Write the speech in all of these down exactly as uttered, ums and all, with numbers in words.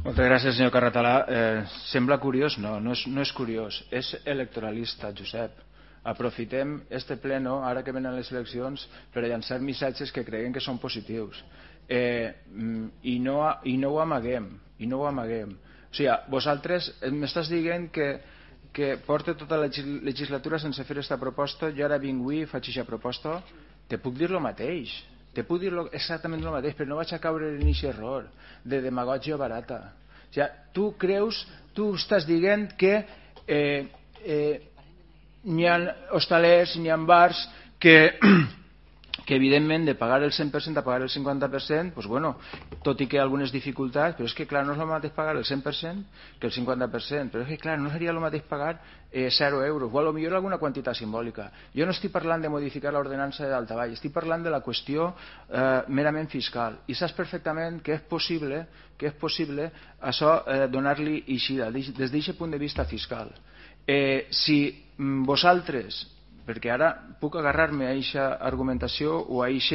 Moltes gràcies, senyor Carratalà. Eh, sembla curiós? No, no és, no és curiós. És electoralista, Josep. Aprofitem este pleno, ara que venen les eleccions, per llançar missatges que creguem que són positius. Eh, i, no, I no ho amaguem. I no ho amaguem. O sigui, vosaltres m'estàs dient que, que porta tota la legislatura sense fer aquesta proposta, jo ara vinc avui i faig aquesta proposta. Te puc dir el mateix. Te puc dir exactament el mateix, però no vaig a caure en aquest error de demagògia barata. O sigui, tu creus, tu estàs dient que eh, eh, n'hi ha hostalers, n'hi ha bars que, que evidentment de pagar el cent per cent a pagar el cinquanta per cent, pues bueno, tot i que hi ha algunes dificultats, però és que clar, no és el mateix pagar el cent per cent que el cinquanta per cent, però és que clar, no seria el mateix pagar eh, zero euros, o potser alguna quantitat simbòlica. Jo no estic parlant de modificar l'ordenança de Daltavall, estic parlant de la qüestió eh, merament fiscal, i saps perfectament que és possible, que és possible això eh, donar-li eixida des d'aquest punt de vista fiscal. Eh, si vosaltres, perquè ara puc agarrar-me a aquesta argumentació o a aquest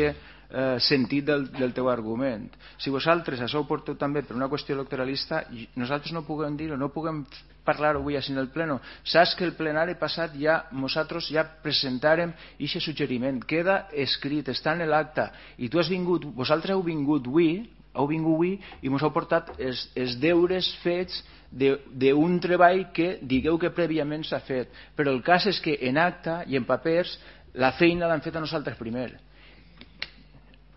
eh, sentit del, del teu argument, si vosaltres això ho porteu també per una qüestió electoralista, nosaltres no puguem dir-ho, no puguem parlar avui així en el pleno. Saps que el plenari passat ja nosaltres ja presentarem aquest suggeriment, queda escrit, està en l'acte, i tu has vingut, vosaltres heu vingut avui heu vingut avui i ens heu portat els, els deures fets d'un treball que digueu que prèviament s'ha fet, però el cas és que en acta i en papers la feina l'han fet a nosaltres primer.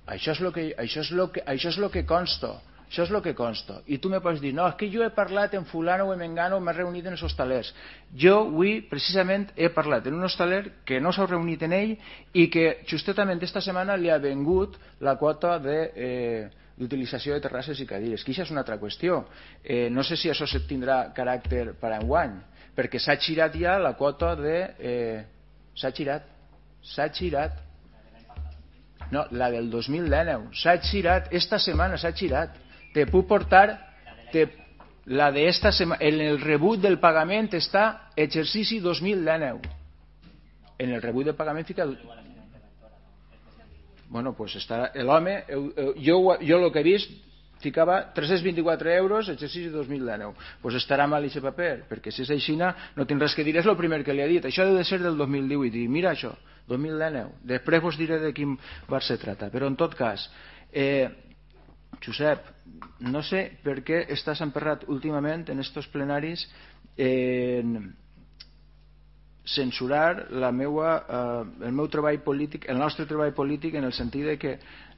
Això és el que, això és lo que, això és lo que consta, això és el que consta. I tu me pots dir, no, és que jo he parlat en fulano o en mengano, m'he reunit en els hostalers. Jo avui precisament he parlat en un hostaler que no s'ha reunit en ell i que justament esta setmana li ha vengut la quota de eh, d'utilització de terrasses i cadires, que això és una altra qüestió. Eh, no sé si això tindrà caràcter per enguany, perquè s'ha girat ja la quota de... Eh, s'ha girat, s'ha girat. No, la del dos mil dinou, s'ha girat, esta setmana s'ha girat. Te puc portar... Te, la de esta setmana, en el rebut del pagament està exercici dos mil dinou. En el rebut del pagament fica... Bueno, pues està l'home, jo, jo el que he vist ficava tres-cents vint-i-quatre euros exercici dos mil dinou, pues estarà mal aquest paper, perquè si és així no tinc res que dir, és el primer que li ha dit, això deu de ser del dos mil divuit, i mira això, dos mil dinou, després vos diré de quin bar se trata, però en tot cas, eh, Josep, no sé per què estàs emperrat últimament en estos plenaris en... Eh, censurar la meua, eh, el meu treball polític, el nostre treball polític, en el sentit de que,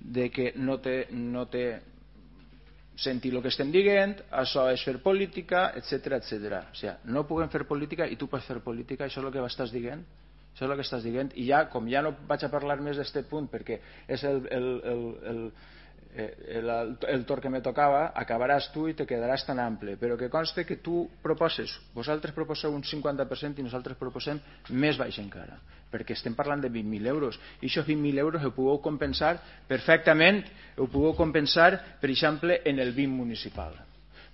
de que no té, no té sentir el que estem dient, això és fer política, etcètera, etcètera. O sigui, no puguem fer política i tu pots fer política, això és el que estàs dient? Això és el que estàs dient? I ja, com ja no vaig a parlar més d'aquest punt, perquè és el, el, el, el El, el torn que me tocava, acabaràs tu i te quedaràs tan ample, però que conste que tu proposes, vosaltres proposeu un cinquanta per cent i nosaltres proposem més baix encara, perquè estem parlant de vint mil euros i aquests vint mil euros ho podeu compensar perfectament, ho podeu compensar per exemple en el B I M municipal.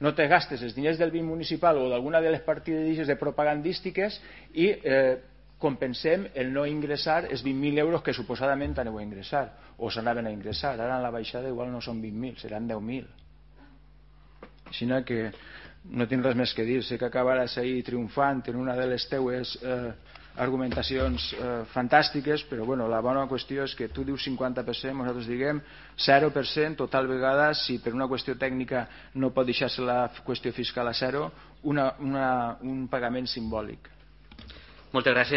No te gastes els diners del B I M municipal o d'alguna de les partides de propagandístiques i eh, compensem el no ingressar els vint mil euros que suposadament aneu a ingressar o s'anaven a ingressar, ara en la baixada igual no són vint mil, seran deu mil. Així que no tinc res més que dir, sé que acabaràs ahir triomfant en una de les teues eh, argumentacions eh, fantàstiques, però bueno, la bona qüestió és que tu dius cinquanta per cent, nosaltres diguem zero per cent, total vegada, si per una qüestió tècnica no pot deixar-se la qüestió fiscal a zero, una, una, un pagament simbòlic. Moltes gràcies.